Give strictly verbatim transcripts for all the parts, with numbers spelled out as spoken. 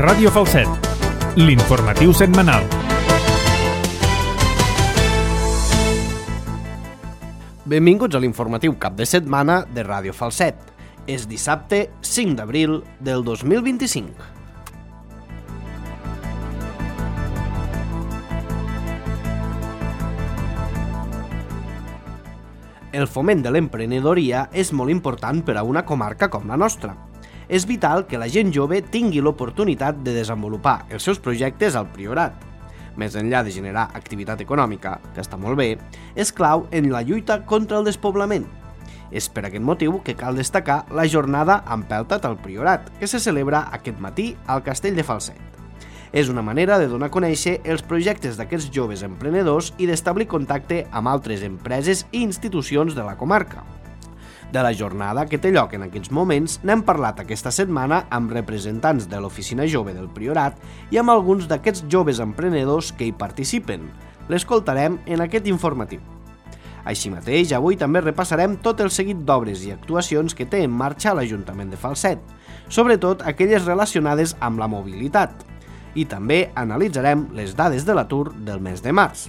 Ràdio Falset, l'informatiu setmanal. Benvinguts a l'informatiu cap de setmana de Ràdio Falset. És dissabte cinc d'abril del dos mil vint-i-cinc. El foment de l'emprenedoria és molt important per a una comarca com la nostra. És vital que la gent jove tingui l'oportunitat de desenvolupar els seus projectes al Priorat. Més enllà de generar activitat econòmica, que està molt bé, és clau en la lluita contra el despoblament. És per aquest motiu que cal destacar la jornada Empelta't al Priorat, que se celebra aquest matí al Castell de Falset. És una manera de donar a conèixer els projectes d'aquests joves emprenedors i d'establir contacte amb altres empreses i institucions de la comarca. De la jornada que té lloc en aquests moments n'hem parlat aquesta setmana amb representants de l'Oficina Jove del Priorat i amb alguns d'aquests joves emprenedors que hi participen. L'escoltarem en aquest informatiu. Així mateix, avui també repassarem tot el seguit d'obres i actuacions que té en marxa l'Ajuntament de Falset, sobretot aquelles relacionades amb la mobilitat. I també analitzarem les dades de l'atur del mes de març.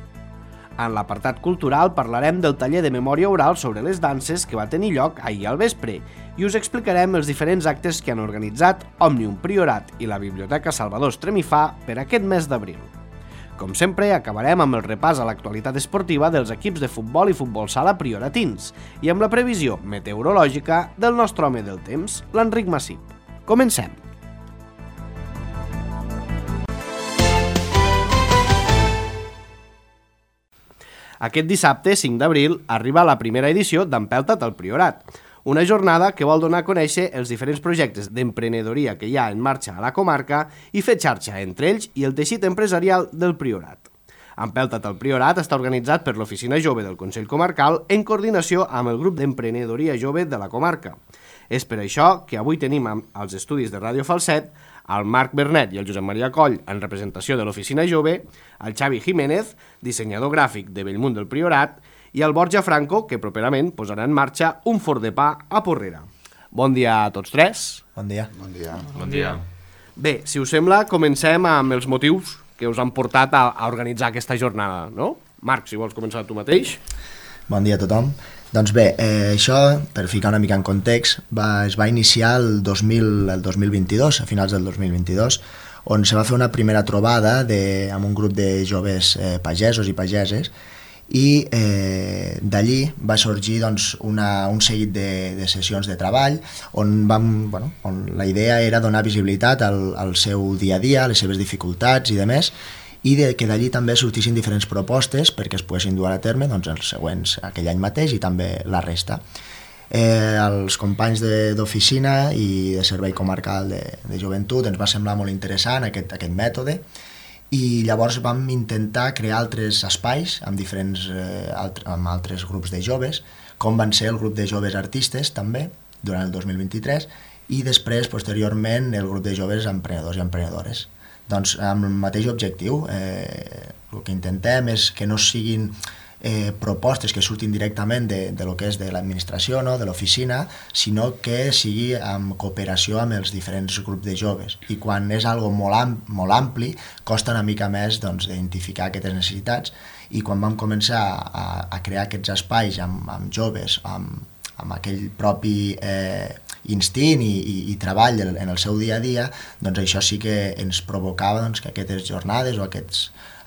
En l'apartat cultural parlarem del taller de memòria oral sobre les danses que va tenir lloc ahir al vespre i us explicarem els diferents actes que han organitzat Òmnium Priorat i la Biblioteca Salvador Estremifà per aquest mes d'abril. Com sempre, acabarem amb el repàs a l'actualitat esportiva dels equips de futbol i futbol sala prioratins i amb la previsió meteorològica del nostre home del temps, l'Enric Massip. Comencem! Aquest dissabte, cinc d'abril, arriba la primera edició d'Empelta't al Priorat, una jornada que vol donar a conèixer els diferents projectes d'emprenedoria que hi ha en marxa a la comarca i fer xarxa entre ells i el teixit empresarial del Priorat. Empelta't al Priorat està organitzat per l'Oficina Jove del Consell Comarcal en coordinació amb el grup d'emprenedoria jove de la comarca. És per això que avui tenim als estudis de Ràdio Falset el Marc Bernet i el Josep Maria Coll en representació de l'Oficina Jove, el Xavi Jiménez, dissenyador gràfic de Bellmunt del Priorat, i el Borja Franco, que properament posarà en marxa un forn de pa a Porrera. Bon dia a tots tres. Bon dia. Bon dia. Bon dia. Bé, si us sembla, comencem amb els motius que us han portat a, a organitzar aquesta jornada, no? Marc, si vols començar tu mateix. Bon dia a tothom. Doncs bé, eh, això, per ficar una mica en context, va, es va iniciar el dos mil, el dos mil vint-i-dos, a finals del dos mil vint-i-dos, on se va fer una primera trobada de, amb un grup de joves eh, pagesos i pageses, i eh, d'allí va sorgir doncs, una, un seguit de, de sessions de treball on, vam, bueno, on la idea era donar visibilitat al, al seu dia a dia, a les seves dificultats i demés, i de, que d'allí també sortissin diferents propostes perquè es poguessin dur a terme doncs, els següents aquell any mateix i també la resta. Eh, els companys d'oficina i de servei comarcal de, de joventut ens va semblar molt interessant aquest, aquest mètode i llavors vam intentar crear altres espais amb diferents eh, alt, amb altres grups de joves, com van ser el grup de joves artistes també durant el dos mil vint-i-tres i després posteriorment el grup de joves emprenedors i emprenedores. Doncs amb el mateix objectiu, eh, el que intentem és que no siguin eh, propostes que surtin directament de, de lo que és de l'administració, no? De l'oficina, sinó que sigui en cooperació amb els diferents grups de joves. I quan és algo molt, am, molt ampli, costa una mica més doncs, d'identificar aquestes necessitats i quan vam començar a, a crear aquests espais amb, amb joves, amb, amb aquell propi eh, instint i, i, i treball en el seu dia a dia, doncs això sí que ens provocava doncs, que aquestes jornades o aquests,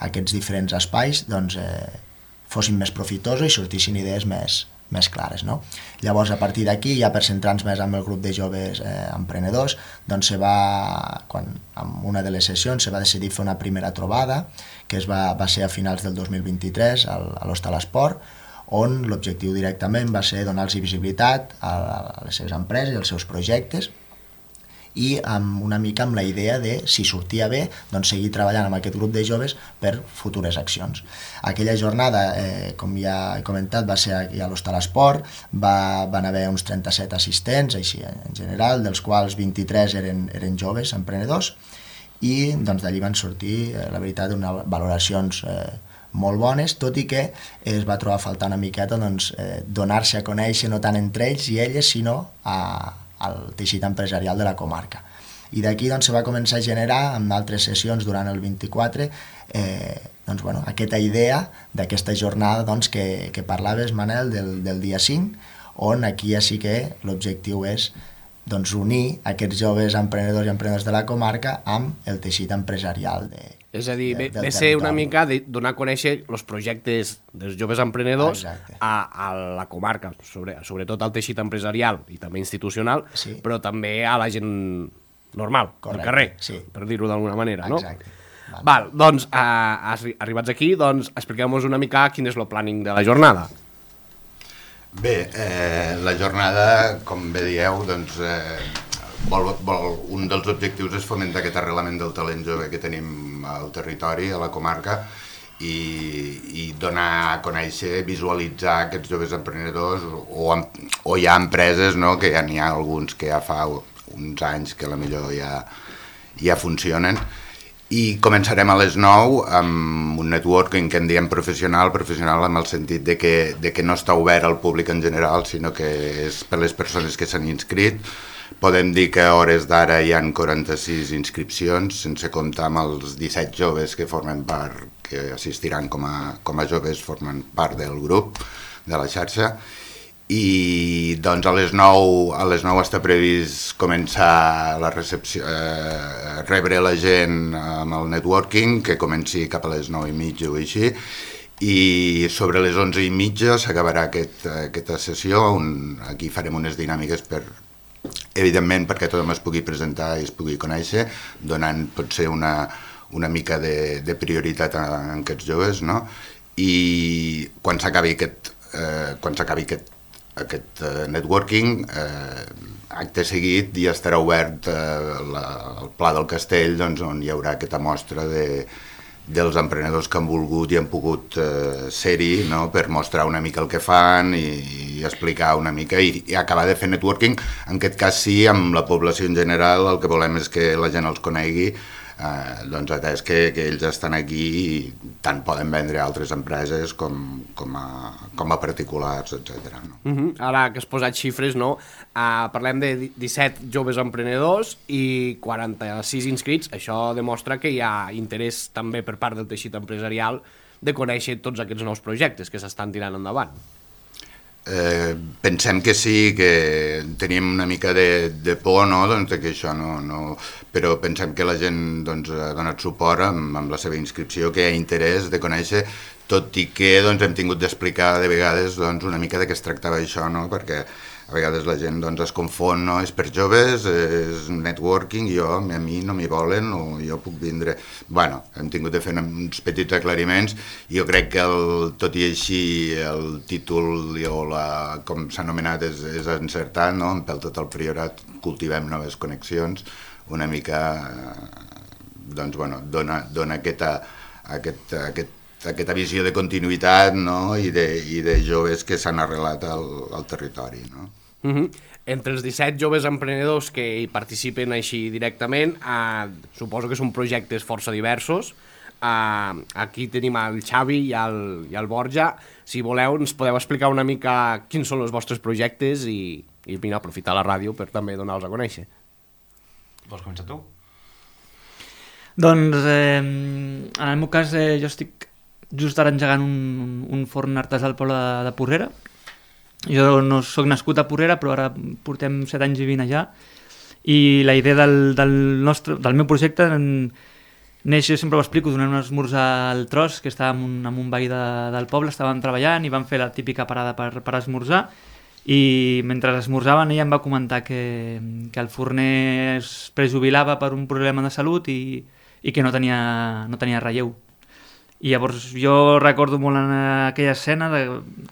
aquests diferents espais doncs, eh, fossin més profitosos i sortissin idees més, més clares. No? Llavors, a partir d'aquí, ja per centrar-nos més amb el grup de joves eh, emprenedors, doncs se va, quan, en una de les sessions se va decidir fer una primera trobada, que es va, va ser a finals del dos mil vint-i-tres al, a l'Hostal Esport, on l'objectiu directament va ser donar-los visibilitat a les seves empreses i als seus projectes i amb una mica amb la idea de, si sortia bé, doncs seguir treballant amb aquest grup de joves per futures accions. Aquella jornada, eh, com ja he comentat, va ser aquí a l'Hostal Esport, va, van haver uns trenta-set assistents, així en general, dels quals vint-i-tres eren, eren joves emprenedors i doncs, d'allí van sortir, eh, la veritat, unes valoracions eh, molt bones, tot i que es va trobar a faltar una miqueta doncs, eh, donar-se a conèixer no tant entre ells i elles, sinó a, al teixit empresarial de la comarca. I d'aquí doncs, se va començar a generar, amb altres sessions durant el vint-i-quatre, eh, doncs, bueno, aquesta idea d'aquesta jornada doncs, que, que parlaves, Manel, del, del dia cinc, on aquí ja sí que l'objectiu és doncs, unir aquests joves emprenedors i emprenedors de la comarca amb el teixit empresarial de, és a dir, de, ve, ve ser una mica de donar a conèixer els projectes dels joves emprenedors a, a la comarca, sobre, sobretot al teixit empresarial i també institucional, sí. Però també a la gent normal, correcte, al carrer, sí. Per dir-ho d'alguna manera, no? Exacte. Val, Val doncs, eh, arribats aquí, doncs, expliqueu-nos una mica quin és el planning de la jornada. Bé, eh, la jornada, com bé dieu, doncs, eh, vol, vol, un dels objectius és fomentar aquest arrelament del talent jove que tenim al territori, a la comarca, i, i donar a conèixer, visualitzar aquests joves emprenedors, o, o hi ha empreses, no?, que ja n'hi ha alguns que ja fa uns anys que a la millor ja, ja funcionen. I començarem a les nou amb un networking que en diem professional, professional amb el sentit de que, de que no està obert al públic en general, sinó que és per les persones que s'han inscrit. Podem dir que a hores d'ara hi ha quaranta-sis inscripcions, sense comptar amb els disset joves que formen part, que assistiran com a, com a joves, formen part del grup, de la xarxa. I doncs a les nou, a les nou està previst començar la recepció, eh, rebre la gent amb el networking, que comenci cap a les nou i mitja o així, i sobre les onze i mitja s'acabarà aquest, aquesta sessió, on aquí farem unes dinàmiques per, evidentment, perquè tothom es pugui presentar i es pugui conèixer, donant potser una, una mica de, de prioritat a, a aquests joves, no? I quan s'acabi aquest, eh, quan s'acabi aquest aquest uh, networking, eh, acte seguit ja estarà obert eh, la, el Pla del Castell, doncs, on hi haurà aquesta mostra de, dels emprenedors que han volgut i han pogut eh, ser-hi, no?, per mostrar una mica el que fan i, i explicar una mica i, i acabar de fer networking. En aquest cas sí, amb la població en general, el que volem és que la gent els conegui, eh, doncs atès que, que ells estan aquí i tant poden vendre a altres empreses com, com, a, com a particulars, etcètera. No? Uh-huh. Ara que has posat xifres, no? Uh, parlem de disset joves emprenedors i quaranta-sis inscrits. Això demostra que hi ha interès també per part del teixit empresarial de conèixer tots aquests nous projectes que s'estan tirant endavant. Eh, pensem que sí, que tenim una mica de, de por, no?, doncs, que això no, no... però pensem que la gent doncs, ha donat suport amb, amb la seva inscripció, que hi ha interès de conèixer, tot i que doncs, hem tingut d'explicar de vegades doncs, una mica de què es tractava això, no?, perquè a vegades la gent doncs, es confon, no?, és per joves, és networking, jo, a mi no m'hi volen, o jo puc vindre... Bueno, hem tingut de fer uns petits aclariments, i jo crec que, el, tot i així, el títol, o la, com s'ha anomenat, és, és encertat, no?, en Pel tot el Priorat cultivem noves connexions, una mica, doncs, bueno, dona, dona aquesta, aquest, aquest, aquesta visió de continuïtat, no?, i de, i de joves que s'han arrelat al, al territori, no? Uh-huh. Entre els disset joves emprenedors que hi participen així directament, eh, suposo que són projectes força diversos. Eh, aquí tenim el Xavi i el, i el Borja. Si voleu, ens podeu explicar una mica quins són els vostres projectes i, i mira, aprofitar la ràdio per també donar-los a conèixer. Vols començar tu? Doncs, eh, en el meu cas, eh, jo estic just ara engegant un, un forn artesà al poble de, de Porrera. Jo no soc nascut a Porrera, però ara portem set anys vivint allà, i la idea del, del, nostre, del meu projecte en, neix, jo sempre ho explico, donant un esmorzar al Tros, que estava amb un, amb un veí de, del poble, estàvem treballant i vam fer la típica parada per, per esmorzar, i mentre esmorzaven ella em va comentar que, que el forner es prejubilava per un problema de salut i, i que no tenia, no tenia relleu. I llavors jo recordo molt en aquella escena de,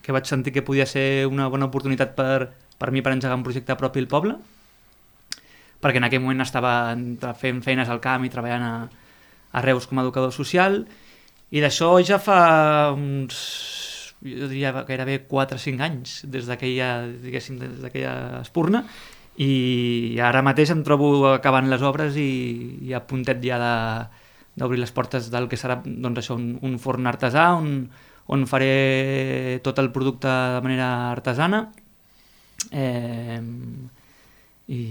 que vaig sentir que podia ser una bona oportunitat per, per mi per engegar un projecte propi al poble, perquè en aquell moment estava fent feines al camp i treballant a, a Reus com a educador social, i d'això ja fa uns, jo diria gairebé quatre o cinc anys, des d'aquella, diguéssim, des d'aquella espurna, i ara mateix em trobo acabant les obres i, i a puntet ja de d'obrir les portes del que serà doncs això, un, un forn artesà on, on faré tot el producte de manera artesana. Eh, i...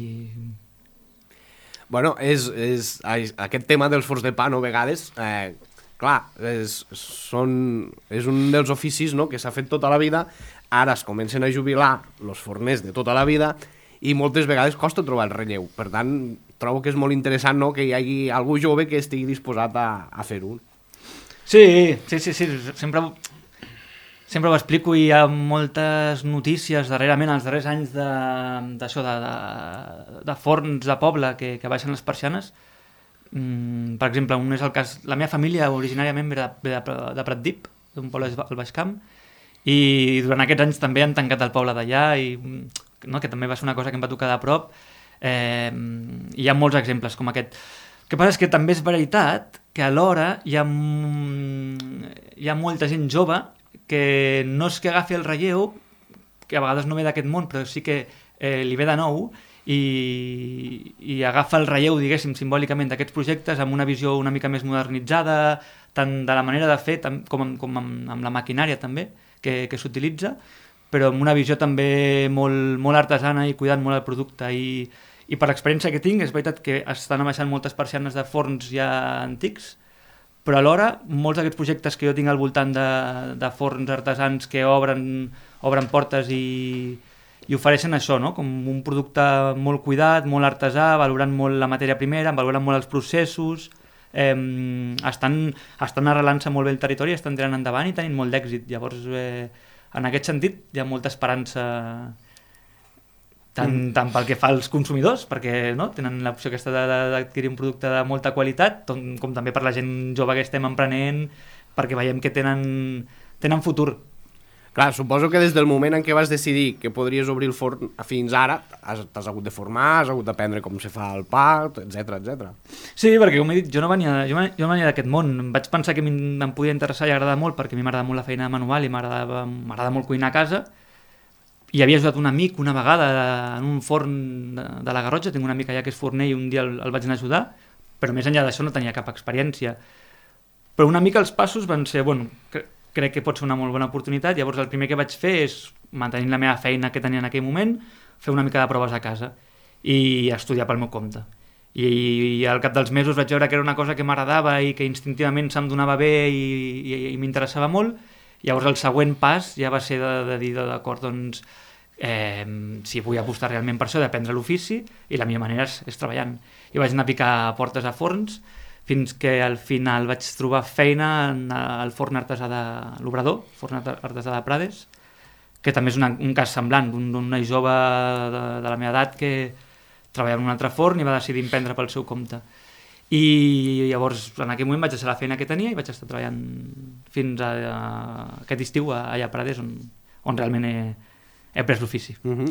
Bueno, és, és, aquest tema dels forns de pa, no, a vegades, eh, clar, és, són, és un dels oficis, no?, que s'ha fet tota la vida, ara es comencen a jubilar els forners de tota la vida i moltes vegades costa trobar el relleu. Per tant, trobo que és molt interessant, no?, que hi hagi algú jove que estigui disposat a, a fer-ho. Sí, sí, sí, sí. Sempre, sempre ho explico i hi ha moltes notícies darrerament, els darrers anys d'això, de, de, de, de forns de poble que, que baixen les persianes. Mm, per exemple, un és el cas... La meva família originàriament ve de, de, de Pratdip, d'un poble al Baix Camp, i durant aquests anys també han tancat el poble d'allà, i no, que també va ser una cosa que em va tocar de prop. Eh, hi ha molts exemples com aquest. El que passa és que també és veritat que alhora hi ha, hi ha molta gent jove que no és que agafi el relleu, que a vegades no ve d'aquest món, però sí que eh, li ve de nou, i, i agafa el relleu, diguéssim, simbòlicament d'aquests projectes amb una visió una mica més modernitzada, tant de la manera de fer tam, com, amb, com amb, amb la maquinària també, que, que s'utilitza, però amb una visió també molt, molt artesana i cuidant molt el producte. I, i per l'experiència que tinc, és veritat que estan abaixant moltes persianes de forns ja antics, però alhora molts d'aquests projectes que jo tinc al voltant de, de forns artesans que obren, obren portes i, i ofereixen això, no?, com un producte molt cuidat, molt artesà, valorant molt la matèria primera, valorant molt els processos, eh, estan, estan arrelant-se molt bé el territori, estan tirant endavant i tenint molt d'èxit. Llavors, eh, en aquest sentit, hi ha molta esperança, tant, mm. tant pel que fa als consumidors, perquè no, tenen l'opció aquesta d'adquirir un producte de molta qualitat, com també per la gent jove que estem emprenent, perquè veiem que tenen, tenen futur. Clar, suposo que des del moment en què vas decidir que podries obrir el forn fins ara, t'has hagut de formar, has hagut d'aprendre com se fa el pa, etcètera, etcètera. Sí, perquè com he dit, jo no venia, jo no venia d'aquest món. Vaig pensar que em podia interessar i agradar molt, perquè a mi m'agrada molt la feina manual i m'agrada molt cuinar a casa. I havia ajudat un amic una vegada en un forn de, de la Garrotxa, tinc un amic allà que és forner i un dia el, el vaig anar a ajudar, però més enllà d'això no tenia cap experiència. Però una mica els passos van ser, bueno, crec que pot ser una molt bona oportunitat. Llavors el primer que vaig fer és, mantenint la meva feina que tenia en aquell moment, fer una mica de proves a casa i estudiar pel meu compte. I, i al cap dels mesos vaig veure que era una cosa que m'agradava i que instintivament se'm donava bé i, i, i m'interessava molt. Llavors el següent pas ja va ser de, de dir, d'acord, doncs, eh, si vull apostar realment per això, d'aprendre l'ofici, i la millor manera és, és treballant. I vaig anar a picar portes a forns, fins que al final vaig trobar feina al forn artesà de l'Obrador, forn artesà de Prades, que també és una, un cas semblant, d'un noi jove de, de la meva edat que treballava en un altre forn i va decidir emprendre pel seu compte. I llavors en aquell moment vaig deixar la feina que tenia i vaig estar treballant fins a, a aquest estiu allà a Prades, on, on realment he, he pres l'ofici. Uh-huh.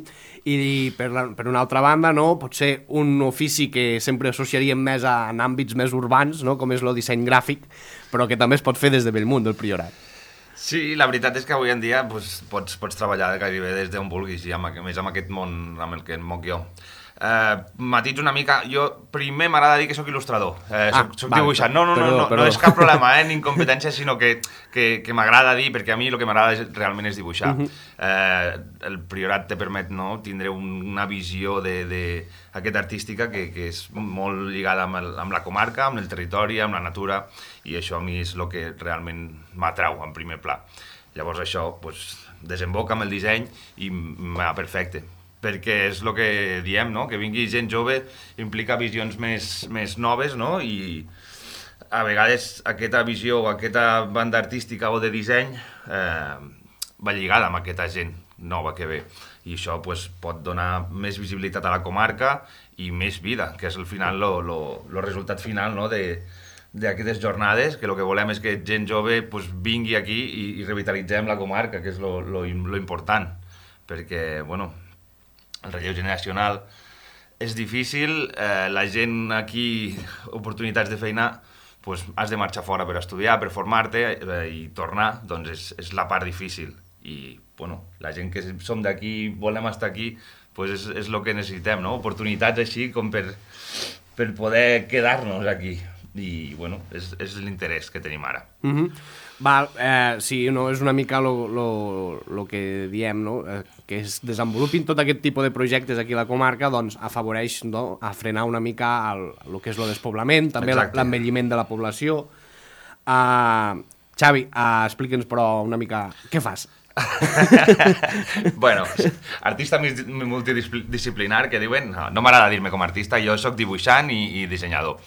I per, la, per una altra banda, no, pot ser un ofici que sempre associaríem més a, en àmbits més urbans, no, com és el disseny gràfic, però que també es pot fer des de Bellmunt, del Priorat. Sí, la veritat és que avui en dia pues, pots, pots treballar gairebé des d'on vulguis, i amb, més amb aquest món amb el que em moc jo. Uh, matits una mica, jo primer m'agrada dir que sóc il·lustrador, eh, soc, ah, soc val, dibuixant, no, no, perdó, no, no, no és cap problema, eh, ni incompetència, sinó que, que, que m'agrada dir, perquè a mi el que m'agrada és, realment és dibuixar. Uh-huh. eh, el Priorat te permet, no, tindre un, una visió de, de aquesta artística que, que és molt lligada amb, el, amb la comarca, amb el territori, amb la natura, i això a mi és el que realment m'atrau en primer pla. Llavors això pues, desemboca amb el disseny i m'ha perfecte, perquè és el que diem, no? Que vingui gent jove implica visions més, més noves, no? I a vegades aquesta visió o aquesta banda artística o de disseny eh, va lligada amb aquesta gent nova que ve, i això pues, pot donar més visibilitat a la comarca i més vida, que és al final el resultat final, no? de d'aquestes jornades, que el que volem és que gent jove pues, vingui aquí i, i revitalitzem la comarca, que és lo important, perquè, bueno, el relleu generacional és difícil, eh, la gent aquí, oportunitats de feina, pues, has de marxar fora per estudiar, per formar-te eh, i tornar, doncs és, és la part difícil. I, bueno, la gent que som d'aquí, volem estar aquí, pues és, és el que necessitem, no? Oportunitats així com per, per poder quedar-nos aquí. i bueno, és, és l'interès que tenim ara. Mm -hmm. Val, eh, sí, no, és una mica el que diem, no? Eh, que es desenvolupin tot aquest tipus de projectes aquí a la comarca, doncs afavoreix, no?, a frenar una mica el, el que és el despoblament, també l'envelliment de la població. Uh, Xavi, uh, explica'ns però una mica què fas. Bueno, artista multidisciplinar, que diuen, no, no m'agrada dir-me com a artista, jo sóc dibuixant i, i dissenyador.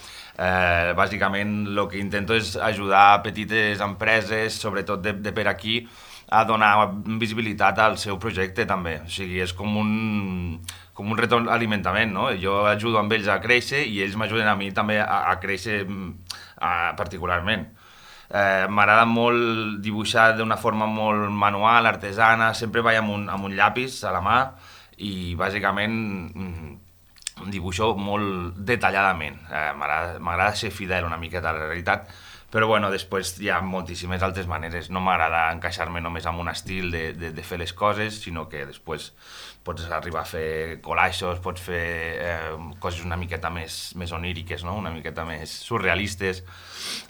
Eh, bàsicament el que intento és ajudar a petites empreses, sobretot de, de per aquí, a donar visibilitat al seu projecte també. O sigui, és com un, com un retroalimentament, no? Jo ajudo amb ells a créixer i ells m'ajuden a mi també a, a créixer a, particularment. Eh, M'agrada molt dibuixar d'una forma molt manual, artesana, sempre vaig amb un, amb un llapis a la mà i bàsicament dibuixo molt detalladament. Eh, M'agrada ser fidel una miqueta a la realitat, però bueno, després hi ha moltíssimes altres maneres. No m'agrada encaixar-me només amb un estil de, de, de fer les coses, sinó que després pots arribar a fer collages, pots fer eh, coses una miqueta més, més oníriques, no? Una miqueta més surrealistes.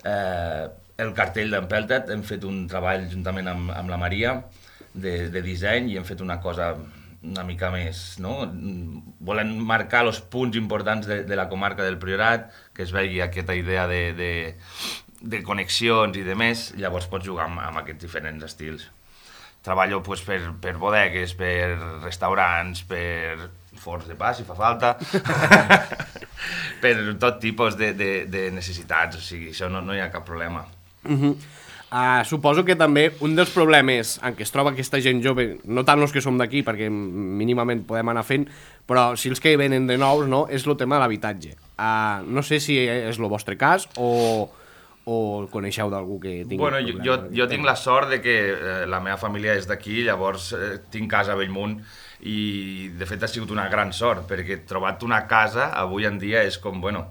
Eh, el cartell d'Empelted hem fet un treball juntament amb, amb la Maria de, de disseny i hem fet una cosa una mica més, no? Volen marcar els punts importants de, de la comarca del Priorat, que es vegi aquesta idea de, de, de connexions i de més, llavors pots jugar amb, amb aquests diferents estils. Treballo pues, per, per bodegues, per restaurants, per forns de pa, si fa falta, per tot tipus de, de, de necessitats, o sigui, això no, no hi ha cap problema. Uh-huh. Uh, suposo que també un dels problemes en què es troba aquesta gent jove, no tant els que som d'aquí, perquè mínimament podem anar fent, però si els que venen de nous, no, és el tema de l'habitatge. Uh, no sé si és el vostre cas o, o coneixeu d'algú que tingui... Bueno, jo, jo, jo tinc la sort de que eh, la meva família és d'aquí, llavors eh, tinc casa a Bellmunt i de fet ha sigut una gran sort, perquè trobat una casa avui en dia és com, bueno...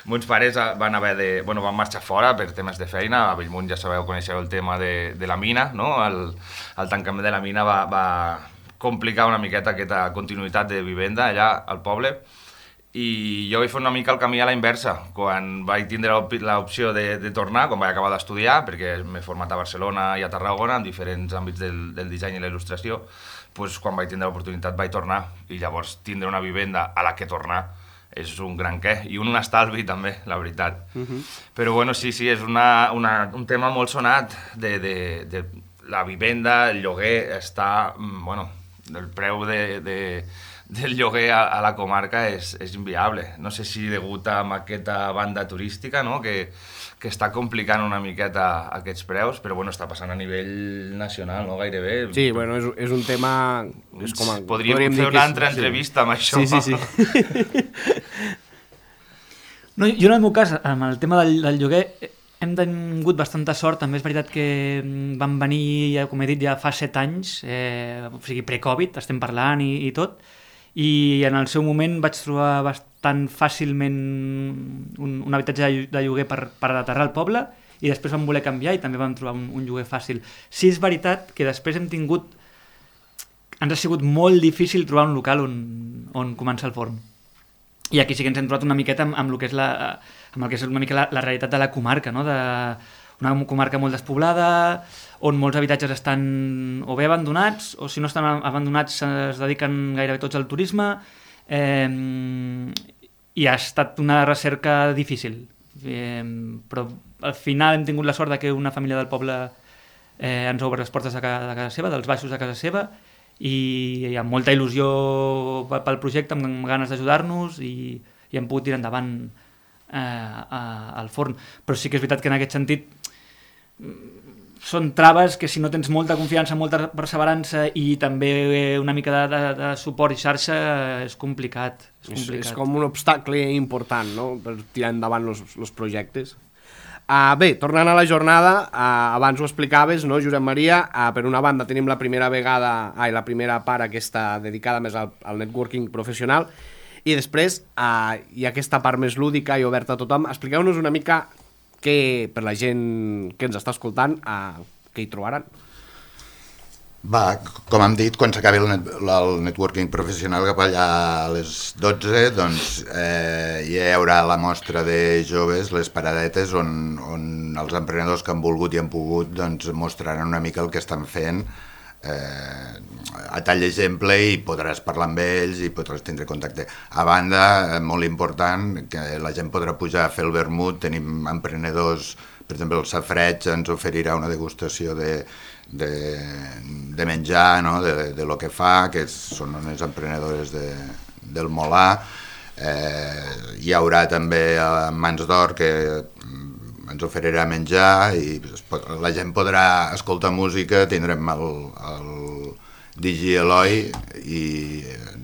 Mons pares van haver de... Bueno, van marxar fora per temes de feina. A Bellmunt ja sabeu, coneixeu el tema de, de la mina, no? El, el tancament de la mina va, va complicar una miqueta aquesta continuïtat de vivenda allà al poble. I jo vaig fer una mica el camí a la inversa. Quan vaig tindre l'opció de, de tornar, quan vaig acabar d'estudiar, perquè m'he format a Barcelona i a Tarragona, en diferents àmbits del, del disseny i la il·lustració, doncs quan vaig tindre l'oportunitat vaig tornar. I llavors tindre una vivenda a la que tornar és un gran què, i un, un estalvi també, la veritat. Uh-huh. Però bueno, sí, sí, és una, una, un tema molt sonat de, de, de la vivenda, el lloguer està, bueno, el preu de, de, del lloguer a, a la comarca és, és inviable. No sé si degut a aquesta banda turística, no?, que, que està complicant una miqueta aquests preus, però bueno, està passant a nivell nacional, no?, gairebé. Sí, bueno, és, és un tema... És com a, podríem, podríem fer una altra és, entrevista sí. amb això. Sí, sí, sí. No, jo en el meu cas, amb el tema del, del lloguer, hem tingut bastanta sort. També és veritat que van venir, com he dit, ja fa set anys, eh, o sigui, pre-Covid, estem parlant i, i tot, i en el seu moment vaig trobar bastant fàcilment un, un habitatge de lloguer per, per aterrar al poble, i després vam voler canviar i també vam trobar un, un lloguer fàcil. Sí, és veritat que després hem tingut... Ens ha sigut molt difícil trobar un local on, on començar el forn. I aquí sí que ens hem trobat una miqueta amb, amb, el, que és la, amb el que és una mica la, la realitat de la comarca, no? De, una comarca molt despoblada, on molts habitatges estan o bé abandonats, o si no estan abandonats es dediquen gairebé tots al turisme, eh, i ha estat una recerca difícil. Eh, però al final hem tingut la sort de que una família del poble eh, ens obre les portes de casa, de casa seva, dels baixos de casa seva, i amb molta il·lusió pel projecte, amb ganes d'ajudar-nos, i, i hem pogut tirar endavant eh, a, al forn. Però sí que és veritat que en aquest sentit són traves que si no tens molta confiança, molta perseverança i també una mica de, de, de suport i xarxa és complicat. És, complicat. És, és com un obstacle important, no?, per tirar endavant els projectes. Uh, bé, tornant a la jornada, uh, abans ho explicaves, no, Josep Maria, uh, per una banda tenim la primera vegada, ai, la primera part aquesta dedicada més al, al networking professional, i després uh, hi ha aquesta part més lúdica i oberta a tothom. Expliqueu-nos una mica que, per la gent que ens està escoltant, uh, què hi trobaran. Va, com hem dit, quan s'acabi el, net, el networking professional cap allà a les dotze, doncs eh, hi haurà la mostra de joves, les paradetes, on, on els emprenedors que han volgut i han pogut doncs, mostraran una mica el que estan fent eh, a tall d'exemple, i podràs parlar amb ells i podràs tindre contacte. A banda, molt important, que la gent podrà pujar a fer el vermut. Tenim emprenedors, per exemple el Safreig ens oferirà una degustació de De, de menjar, no? de, de lo que fa, que són unes emprenedores de, del Molà. Eh, hi haurà també a Mans d'Or, que ens oferirà menjar, i la gent podrà escoltar música. Tindrem el, el D J Eloi, i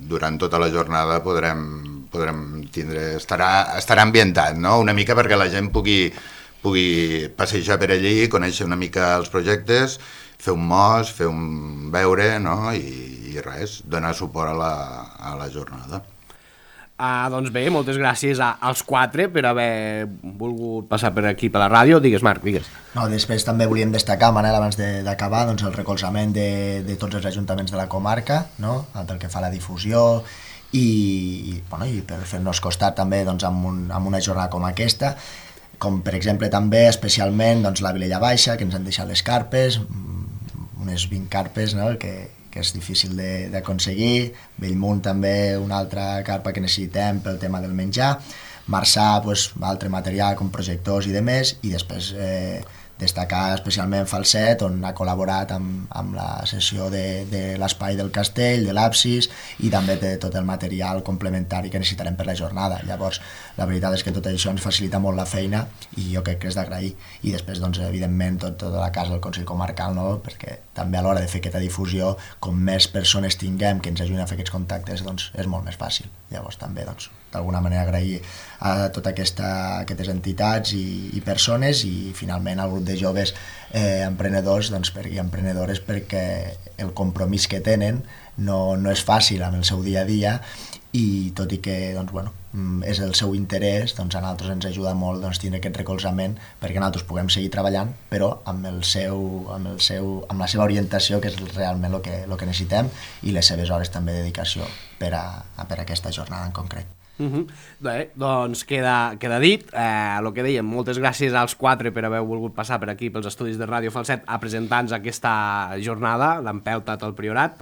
durant tota la jornada podrem, podrem tindre, estarà, estarà ambientat, no? Una mica perquè la gent pugui, pugui passejar per allí, conèixer una mica els projectes, fer un mos, fer un beure, no? I, i res, donar suport a la, a la jornada. Ah, doncs bé, moltes gràcies a, als quatre per haver volgut passar per aquí per la ràdio. Digues, Marc, digues. No, després també volíem destacar, Manel, abans d'acabar, doncs, el recolzament de, de tots els ajuntaments de la comarca, no? Pel que fa a la difusió, i, bueno, i per fer-nos costat també doncs, amb, un, amb una jornada com aquesta, com per exemple també especialment doncs, la Vilella Baixa, que ens han deixat les carpes, unes vint carpes, no? que, que és difícil d'aconseguir. Bellmunt també una altra carpa que necessitem pel tema del menjar. Marçà, pues, altre material com projectors i demés, i després eh, destacar especialment Falset, on ha col·laborat amb, amb la sessió de, de l'espai del castell, de l'absis, i també de tot el material complementari que necessitarem per la jornada. Llavors, la veritat és que tot això ens facilita molt la feina, i jo crec que és d'agrair. I després, doncs, evidentment, tot, tota la casa del Consell Comarcal, no? Perquè també a l'hora de fer aquesta difusió, com més persones tinguem que ens ajudin a fer aquests contactes, doncs és molt més fàcil. Llavors, també, doncs, d'alguna manera agrair a totes aquesta, aquestes entitats i, i persones, i finalment al grup de joves eh, emprenedors, doncs, per, i emprenedores, perquè el compromís que tenen no, no és fàcil amb el seu dia a dia, i tot i que doncs, bueno, és el seu interès, doncs a nosaltres ens ajuda molt doncs, tindre aquest recolzament perquè nosaltres puguem seguir treballant, però amb, el seu, amb, el seu, amb la seva orientació, que és realment el que, el que necessitem, i les seves hores també de dedicació per a, a, per a aquesta jornada en concret. Uh-huh. Bé, doncs queda, queda dit. Eh, el que dèiem, moltes gràcies als quatre per haver volgut passar per aquí pels estudis de Ràdio Falset a presentar-nos aquesta jornada, l'Empeltat al Priorat.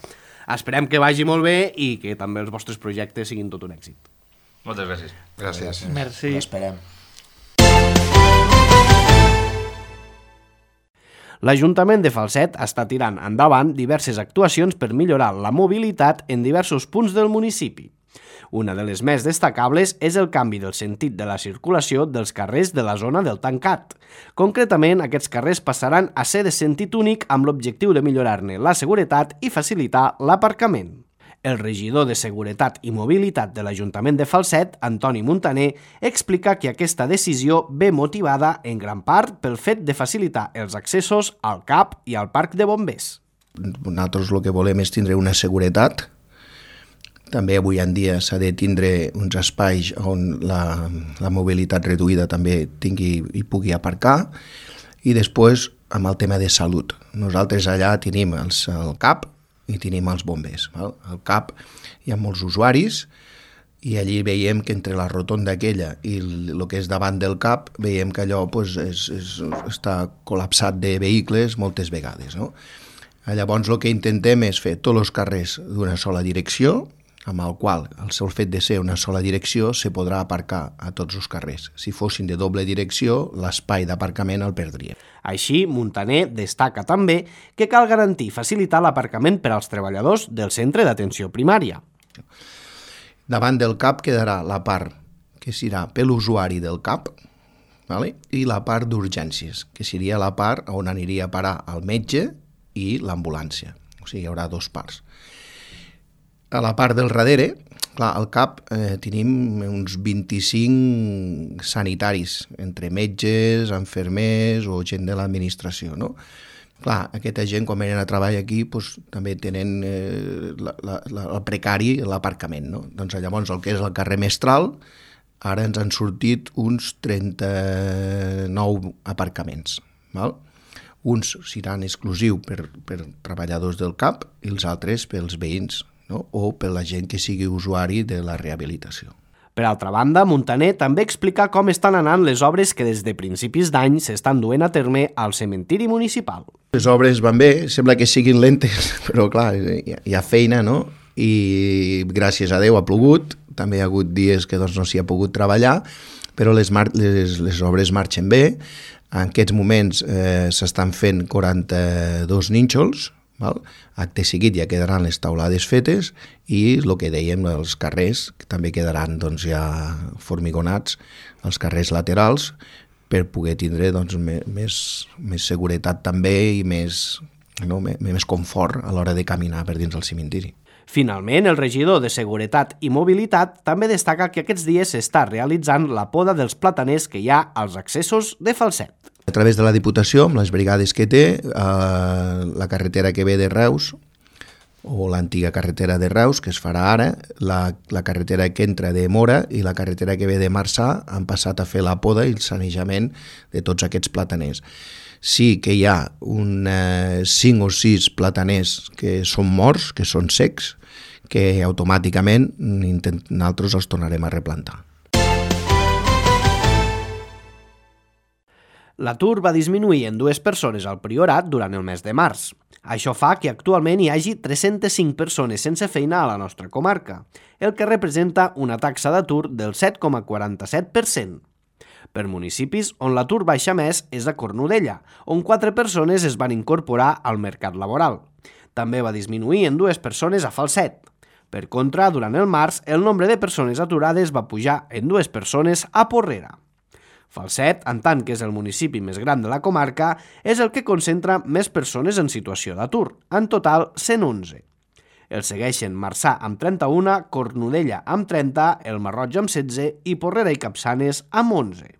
Esperem que vagi molt bé i que també els vostres projectes siguin tot un èxit. Moltes gràcies. Gràcies. Merci. Ho esperem. L'Ajuntament de Falset està tirant endavant diverses actuacions per millorar la mobilitat en diversos punts del municipi. Una de les més destacables és el canvi del sentit de la circulació dels carrers de la zona del Tancat. Concretament, aquests carrers passaran a ser de sentit únic amb l'objectiu de millorar-ne la seguretat i facilitar l'aparcament. El regidor de Seguretat i Mobilitat de l'Ajuntament de Falset, Antoni Muntaner, explica que aquesta decisió ve motivada en gran part pel fet de facilitar els accessos al C A P i al Parc de Bombers. Nosaltres el que volem és tindre una seguretat. També avui en dia s'ha de tindre uns espais on la, la mobilitat reduïda també tingui i pugui aparcar. I després, amb el tema de salut. Nosaltres allà tenim els, el C A P i tenim els bombers. Val? Al C A P hi ha molts usuaris i allí veiem que entre la rotonda aquella i el, el que és davant del C A P veiem que allò pues, és, és, està col·lapsat de vehicles moltes vegades. No? Llavors el que intentem és fer tots els carrers d'una sola direcció, amb el qual el seu fet de ser una sola direcció se podrà aparcar a tots els carrers. Si fossin de doble direcció, l'espai d'aparcament el perdria. Així, Muntaner destaca també que cal garantir i facilitar l'aparcament per als treballadors del centre d'atenció primària. Davant del C A P quedarà la part que serà per l'usuari del C A P, vale? I la part d'urgències, que seria la part on aniria a parar el metge i l'ambulància. O sigui, hi haurà dos parts. A la part del darrere, clar, al C A P eh, tenim uns vint-i-cinc sanitaris, entre metges, enfermers o gent de l'administració, no? Clar, aquesta gent, quan venen a treballar aquí, doncs, també tenen eh, la, la, la, el precari, l'aparcament, no? Doncs llavors el que és el carrer Mestral, ara ens han sortit uns trenta-nou aparcaments, val? uns seran exclusius per, per treballadors del C A P i els altres pels veïns, no? O per la gent que sigui usuari de la rehabilitació. Per altra banda, Muntaner també explica com estan anant les obres que des de principis d'any s'estan duent a terme al cementiri municipal. Les obres van bé, sembla que siguin lentes, però clar, hi ha feina, no? I gràcies a Déu ha plogut, també hi ha hagut dies que doncs, no s'hi ha pogut treballar, però les, mar les, les obres marxen bé. En aquests moments eh, s'estan fent quaranta-dos nínxols, val? Acte seguit ja quedaran les taulades fetes i el que dèiem, els carrers, que també quedaran doncs, ja formigonats, els carrers laterals, per poder tindre doncs, més, més seguretat també i més, no, més confort a l'hora de caminar per dins del cementiri. Finalment, el regidor de Seguretat i Mobilitat també destaca que aquests dies s'està realitzant la poda dels plataners que hi ha als accessos de Falset. A través de la Diputació, amb les brigades que té, eh, la carretera que ve de Reus, o l'antiga carretera de Reus, que es farà ara, la, la carretera que entra de Mora i la carretera que ve de Marçà han passat a fer la poda i el sanejament de tots aquests plataners. Sí que hi ha un, eh, cinc o sis plataners que són morts, que són secs, que automàticament nosaltres els tornarem a replantar. L'atur va disminuir en dues persones al Priorat durant el mes de març. Això fa que actualment hi hagi tres-centes cinc persones sense feina a la nostra comarca, el que representa una taxa d'atur del set coma quaranta-set per cent. Per municipis on l'atur baixa més és a Cornudella, on quatre persones es van incorporar al mercat laboral. També va disminuir en dues persones a Falset. Per contra, durant el març, el nombre de persones aturades va pujar en dues persones a Porrera. Falset, en tant que és el municipi més gran de la comarca, és el que concentra més persones en situació d'atur, en total cent onze. El segueixen Marçà amb trenta-una, Cornudella amb trenta, el Marroig amb setze i Porrera i Capçanes amb onze.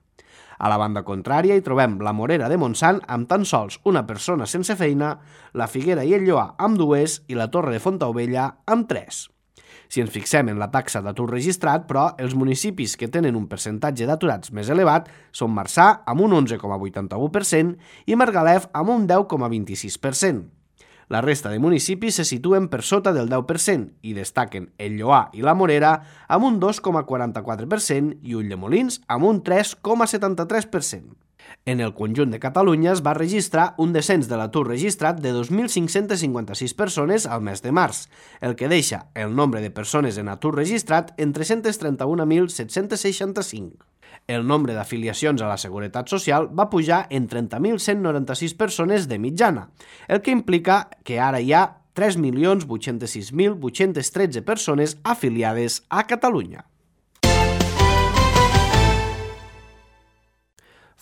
A la banda contrària hi trobem la Morera de Montsant amb tan sols una persona sense feina, la Figuera i el Lloar amb dues i la Torre de Fontaubella amb tres. Si ens fixem en la taxa d'atur registrat, però, els municipis que tenen un percentatge d'aturats més elevat són Marçà amb un onze coma vuitanta-u per cent i Margalef amb un deu coma vint-i-sis per cent. La resta de municipis se situen per sota del deu per cent i destaquen el Lloar i la Morera amb un dos coma quaranta-quatre per cent i Ulldemolins amb un tres coma setanta-tres per cent. En el conjunt de Catalunya es va registrar un descens de l'atur registrat de dos mil cinc-cents cinquanta-sis persones al mes de març, el que deixa el nombre de persones en atur registrat en tres-cents trenta-un mil set-cents seixanta-cinc. El nombre d'afiliacions a la Seguretat Social va pujar en trenta mil cent noranta-sis persones de mitjana, el que implica que ara hi ha tres milions vuit-cents sis mil vuit-cents tretze persones afiliades a Catalunya.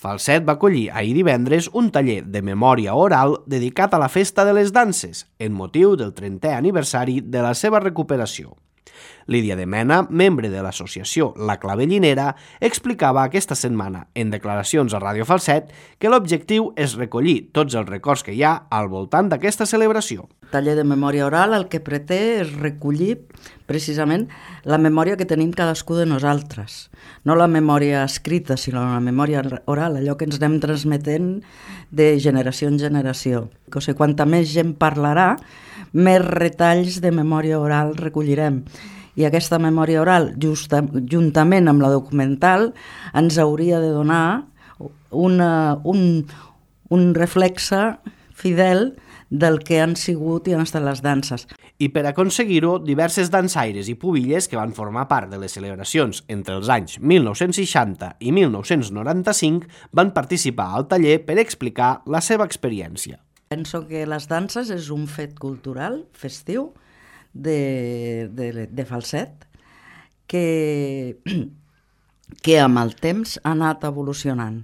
Falset va acollir ahir divendres un taller de memòria oral dedicat a la Festa de les Danses, en motiu del trentè aniversari de la seva recuperació. Lídia de Mena, membre de l'associació La Clavellinera, explicava aquesta setmana, en declaracions a Ràdio Falset, que l'objectiu és recollir tots els records que hi ha al voltant d'aquesta celebració. El taller de memòria oral el que pretè és recollir precisament la memòria que tenim cadascú de nosaltres. No la memòria escrita, sinó la memòria oral, allò que ens anem transmetent de generació en generació. O sigui, quanta més gent parlarà, més retalls de memòria oral recollirem. I aquesta memòria oral, justa, juntament amb la documental, ens hauria de donar una, un, un reflexe fidel del que han sigut i han estat les danses. I per aconseguir-ho, diverses dansaires i pubilles que van formar part de les celebracions entre els anys mil nou-cents seixanta i mil nou-cents noranta-cinc van participar al taller per explicar la seva experiència. Penso que les danses és un fet cultural, festiu, de, de, de Falset, que, que amb el temps ha anat evolucionant.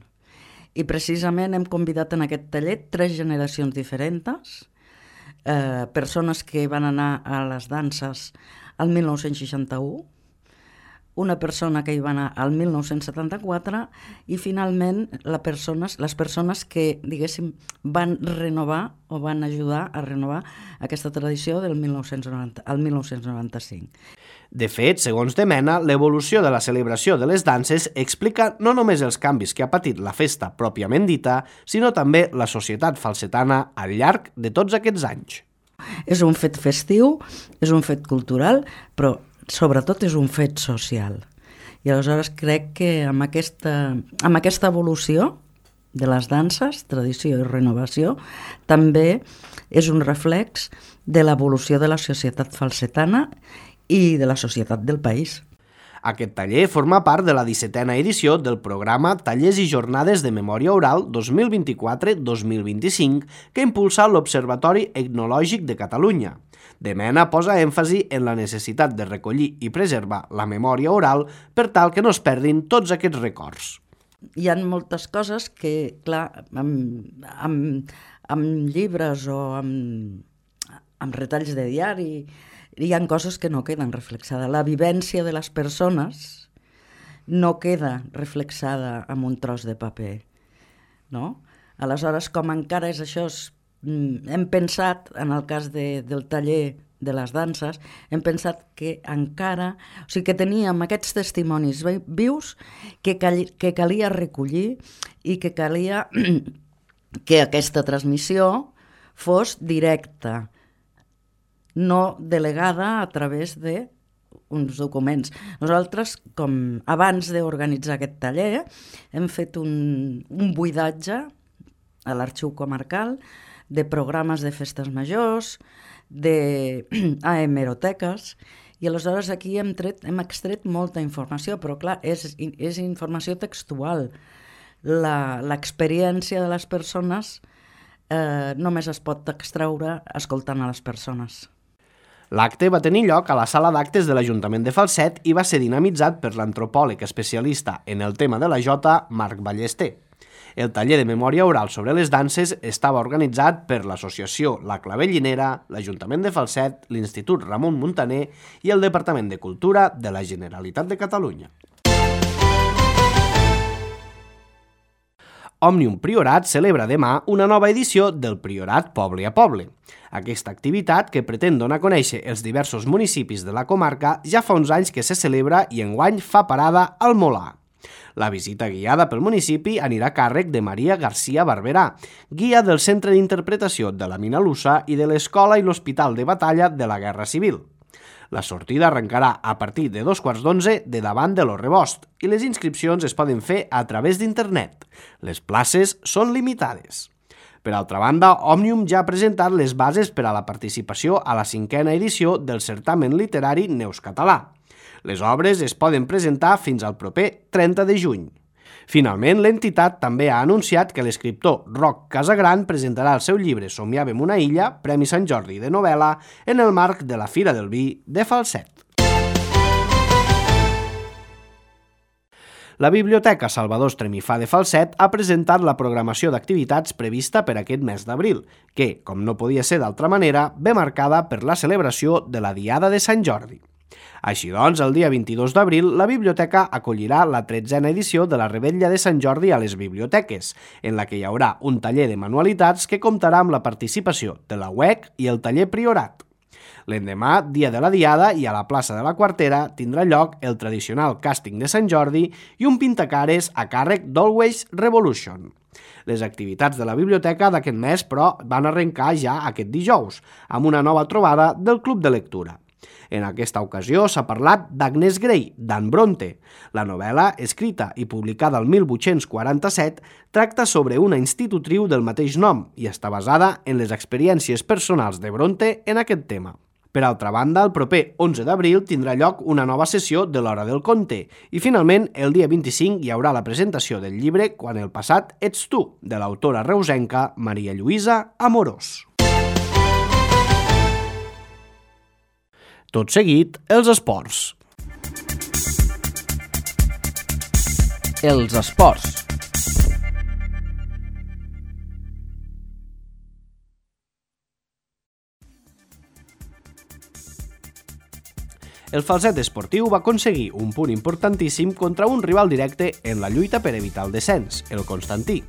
I precisament hem convidat en aquest taller tres generacions diferents, eh, persones que van anar a les danses al mil nou-cents seixanta-u, una persona que hi va anar al mil nou-cents setanta-quatre i finalment la persones, les persones que, diguéssim, van renovar o van ajudar a renovar aquesta tradició del mil nou-cents noranta, al mil nou-cents noranta-cinc. De fet, segons De Mena, l'evolució de la celebració de les danses explica no només els canvis que ha patit la festa pròpiament dita, sinó també la societat falsetana al llarg de tots aquests anys. És un fet festiu, és un fet cultural, però sobretot és un fet social. I aleshores crec que amb aquesta, amb aquesta evolució de les danses, tradició i renovació, també és un reflex de l'evolució de la societat falsetana i de la societat del país. Aquest taller forma part de la dissetena edició del programa Tallers i Jornades de Memòria Oral dos mil vint-i-quatre dos mil vint-i-cinc que impulsa l'Observatori Etnològic de Catalunya. De Mena posa èmfasi en la necessitat de recollir i preservar la memòria oral per tal que no es perdin tots aquests records. Hi ha moltes coses que, clar, amb, amb, amb llibres o amb, amb retalls de diari, hi ha coses que no queden reflexades. La vivència de les persones no queda reflexada en un tros de paper, no? Aleshores, com encara és això, hem pensat, en el cas de, del taller de les danses, hem pensat que encara, o sigui que teníem aquests testimonis vius que, cal, que calia recollir i que calia que aquesta transmissió fos directa, no delegada a través d'uns documents. Nosaltres, com abans d'organitzar aquest taller, hem fet un, un buidatge a l'arxiu comarcal de programes de festes majors, de a hemeroteques, i aleshores aquí hem, tret, hem extret molta informació, però clar, és, és informació textual. L'experiència de les persones eh, només es pot extraure escoltant a les persones. L'acte va tenir lloc a la sala d'actes de l'Ajuntament de Falset i va ser dinamitzat per l'antropòleg especialista en el tema de la jota, Marc Ballester. El taller de memòria oral sobre les danses estava organitzat per l'associació La Clavellinera, l'Ajuntament de Falset, l'Institut Ramon Muntaner i el Departament de Cultura de la Generalitat de Catalunya. Òmnium Priorat celebra demà una nova edició del Priorat Poble a Poble. Aquesta activitat, que pretén donar a conèixer els diversos municipis de la comarca, ja fa uns anys que se celebra i enguany fa parada al Molar. La visita guiada pel municipi anirà a càrrec de Maria García Barberà, guia del Centre d'Interpretació de la Minalusa i de l'Escola i l'Hospital de Batalla de la Guerra Civil. La sortida arrencarà a partir de dos quarts d'onze de davant de l'O Rebost i les inscripcions es poden fer a través d'internet. Les places són limitades. Per altra banda, Òmnium ja ha presentat les bases per a la participació a la cinquena edició del certamen literari Neus Català. Les obres es poden presentar fins al proper trenta de juny. Finalment, l'entitat també ha anunciat que l'escriptor Roc Casagran presentarà el seu llibre Somiàvem una illa, Premi Sant Jordi de novel·la, en el marc de la Fira del Vi de Falset. La Biblioteca Salvador Estremifà de Falset ha presentat la programació d'activitats prevista per aquest mes d'abril, que, com no podia ser d'altra manera, ve marcada per la celebració de la Diada de Sant Jordi. Així doncs, el dia vint-i-dos d'abril, la biblioteca acollirà la tretzena edició de la Revetlla de Sant Jordi a les biblioteques, en la que hi haurà un taller de manualitats que comptarà amb la participació de la U E C i el taller Priorat. L'endemà, dia de la Diada, i a la plaça de la Quartera tindrà lloc el tradicional càsting de Sant Jordi i un pintacares a càrrec d'Always Revolution. Les activitats de la biblioteca d'aquest mes, però, van arrencar ja aquest dijous, amb una nova trobada del Club de Lectura. En aquesta ocasió s'ha parlat d'Agnes Grey, d'Anne Bronte. La novel·la, escrita i publicada el mil vuit-cents quaranta-set, tracta sobre una institutriu del mateix nom i està basada en les experiències personals de Bronte en aquest tema. Per altra banda, el proper onze d'abril tindrà lloc una nova sessió de l'Hora del Conte i finalment el dia vint-i-cinc hi haurà la presentació del llibre Quan el passat ets tu, de l'autora reusenca Maria Lluïsa Amorós. Tot seguit, els esports. Els esports. El Falset Esportiu va aconseguir un punt importantíssim contra un rival directe en la lluita per evitar el descens, el Constantí.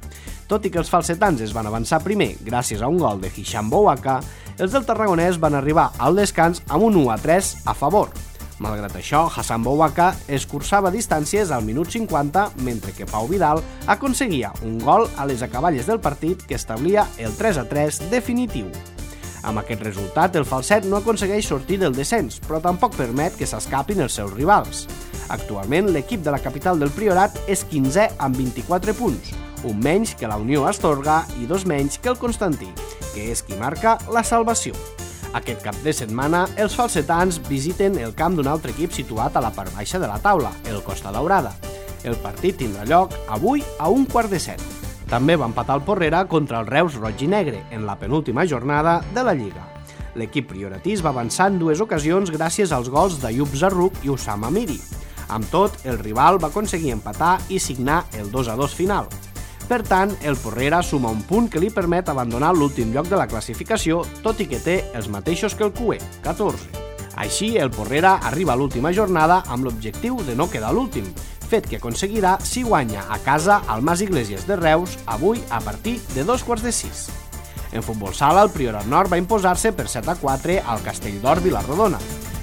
Tot i que els falsetans es van avançar primer gràcies a un gol de Hisham Bouaka, els del Tarragonès van arribar al descans amb un u a tres a favor. Malgrat això, Hassan Bouaka escurçava distàncies al minut cinquanta, mentre que Pau Vidal aconseguia un gol a les acaballes del partit que establia el tres a tres definitiu. Amb aquest resultat, el Falset no aconsegueix sortir del descens, però tampoc permet que s'escapin els seus rivals. Actualment, l'equip de la capital del Priorat és quinzè amb vint-i-quatre punts, un menys que la Unió Astorga i dos menys que el Constantí, que és qui marca la salvació. Aquest cap de setmana, els falsetans visiten el camp d'un altre equip situat a la part baixa de la taula, el Costa Daurada. El partit tindrà lloc avui a un quart de set. També va empatar el Porrera contra el Reus Roig i Negre en la penúltima jornada de la Lliga. L'equip prioratís va avançar en dues ocasions gràcies als gols d'Ayub Zarruc i Usama Miri. Amb tot, el rival va aconseguir empatar i signar el dos a dos final. Per tant, el Porrera suma un punt que li permet abandonar l'últim lloc de la classificació, tot i que té els mateixos que el Cué, catorze. Així, el Porrera arriba a l'última jornada amb l'objectiu de no quedar l'últim, fet que aconseguirà si guanya a casa al Mas Iglesias de Reus avui a partir de dos quarts de sis. En futbol sala, el Priorat Nord va imposar-se per set a quatre al Castelldor Vilarrodona.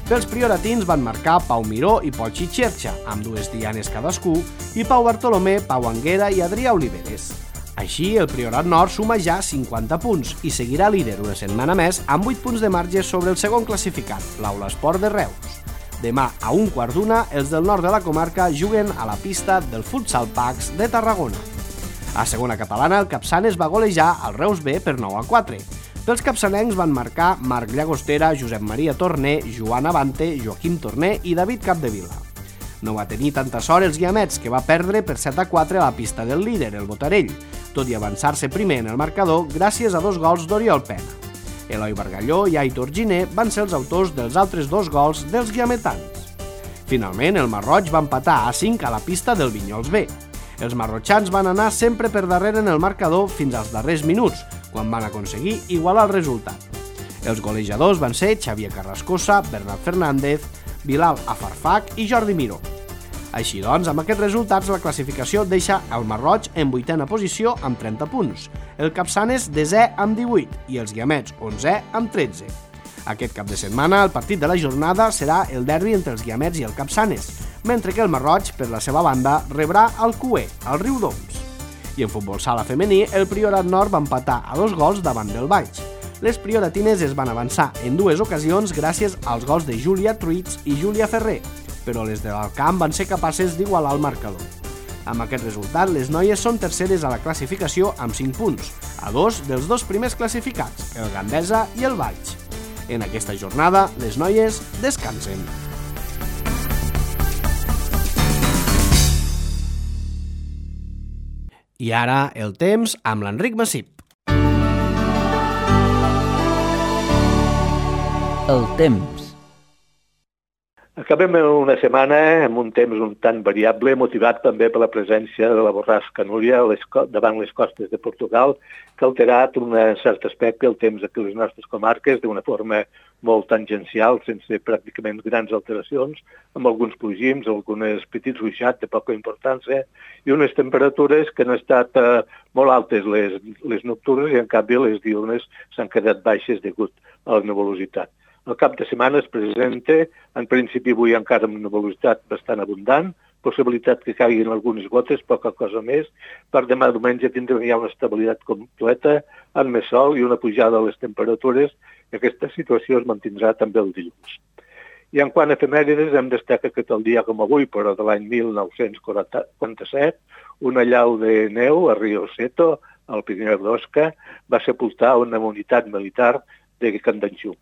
Pels prioratins van marcar Pau Miró i Pol Xixerxa, amb dues dianes cadascú, i Pau Bartolomé, Pau Anguera i Adrià Oliveres. Així, el Priorat Nord suma ja cinquanta punts i seguirà líder una setmana més amb vuit punts de marge sobre el segon classificat, l'Aula Esport de Reus. Demà, a un quart d'una, els del nord de la comarca juguen a la pista del Futsal Pax de Tarragona. A segona catalana, el Capçanes va golejar al Reus B per nou a quatre. Pels capçanencs van marcar Marc Llagostera, Josep Maria Torné, Joan Avante, Joaquim Torné i David Capdevila. No va tenir tanta sort els guiamets, que va perdre per set a quatre a la pista del líder, el Botarell, tot i avançar-se primer en el marcador gràcies a dos gols d'Oriol Pena. Eloi Bargalló i Aitor Giner van ser els autors dels altres dos gols dels guiametans. Finalment, el Marroig va empatar a cinc a la pista del Vinyols B. Els marrotxans van anar sempre per darrere en el marcador fins als darrers minuts, quan van aconseguir igualar el resultat. Els golejadors van ser Xavier Carrascosa, Bernat Fernández, Bilal Afarfach i Jordi Miró. Així doncs, amb aquests resultats, la classificació deixa el Marroig en vuitena posició amb trenta punts, el Capçanes desè amb divuit i els Guiamets onzè amb tretze. Aquest cap de setmana, el partit de la jornada serà el derbi entre els Guiamets i el Capçanes, mentre que el Marroig, per la seva banda, rebrà el Cué, al Riudoms. I en futbol sala femení, el Priorat Nord va empatar a dos gols davant del Baix. Les prioratines es van avançar en dues ocasions gràcies als gols de Júlia Truits i Júlia Ferrer, però les de l'Alcamp van ser capaces d'igualar el marcador. Amb aquest resultat, les noies són terceres a la classificació amb cinc punts, a dos dels dos primers classificats, el Gandesa i el Valls. En aquesta jornada, les noies descansen. I ara, el temps amb l'Enric Massip. El temps. Acabem una setmana amb un temps un tant variable, motivat també per la presència de la borrasca Núria davant les costes de Portugal, que ha alterat en un cert aspecte el temps aquí a les nostres comarques d'una forma molt tangencial, sense pràcticament grans alteracions, amb alguns plogims, alguns petits ruixats de poca importància i unes temperatures que han estat eh, molt altes les, les nocturnes i en canvi les diurnes s'han quedat baixes degut a la nuvolositat. El cap de setmana es presenta, en principi avui encara amb una velocitat bastant abundant, possibilitat que caiguin algunes gotes, poca cosa més. Per demà diumenge tindrem ja una estabilitat completa, amb més sol i una pujada de les temperatures, i aquesta situació es mantindrà també el dilluns. I en quant a efemèrides, hem destacat que el dia com avui, però de l'any mil nou-cents quaranta-set, una llau de neu a Rio Seto, al Pirineu d'Osca, va sepultar una unitat militar de Candanxú.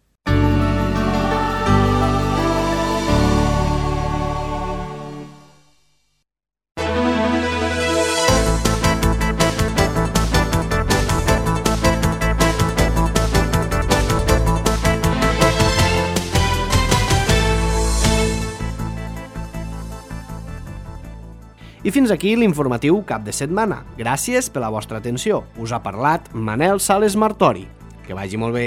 I fins aquí l'informatiu cap de setmana. Gràcies per la vostra atenció. Us ha parlat Manel Sales Martori. Que vagi molt bé.